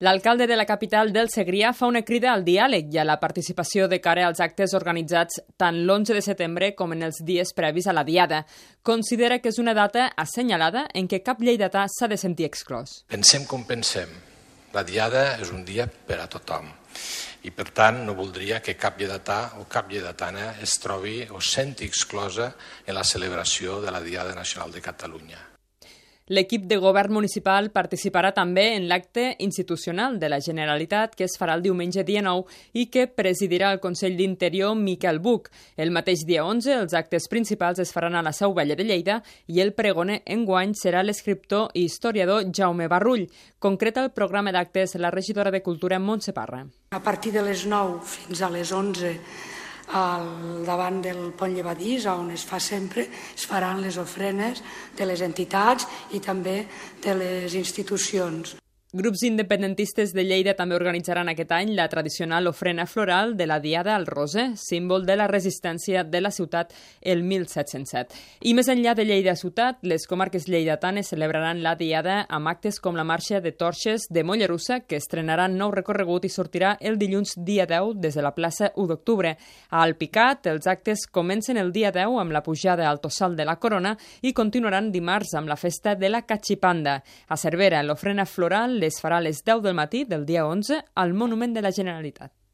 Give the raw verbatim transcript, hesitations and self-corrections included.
L'alcalde de la capital del Segrià fa una crida al diàleg i a la participació de cara als actes organitzats tant l'onze de setembre com en els dies previs a la Diada. Considera que és una data assenyalada en què cap lleidatà s'ha de sentir exclòs. Pensem com pensem. La Diada és un dia per a tothom i, per tant, no voldria que cap lleidatà o cap lleidatana es trobi o senti exclosa en la celebració de la Diada Nacional de Catalunya. L'equip de govern municipal participarà també en l'acte institucional de la Generalitat que es farà el diumenge dia nou i que presidirà el Consell d'Interior Miquel Buch. El mateix dia onze, els actes principals es faran a la Seu Vella de Lleida i el pregoner enguany serà l'escriptor i historiador Jaume Barrull. Concreta el programa d'actes la regidora de Cultura Montse Parra. A partir de les nou fins a les onze, al davant del pont llevadís, on es fa sempre, es faran les ofrenes de les entitats i també de les institucions. Grups independentistes de Lleida també organitzaran aquest any la tradicional ofrena floral de la Diada al Roser, símbol de la resistència de la ciutat el mil set-cents set. I més enllà de Lleida ciutat, les comarques lleidatanes celebraran la Diada amb actes com la marxa de torxes de Mollerussa, que estrenarà nou recorregut i sortirà el dilluns dia deu des de la plaça u d'octubre. A Alpicat, els actes comencen el dia deu amb la pujada al Tossal de la Corona i continuaran dimarts amb la festa de la Catxipanda. A Cervera, l'ofrena floral les farà a les deu del matí del dia onze al Monument de la Generalitat.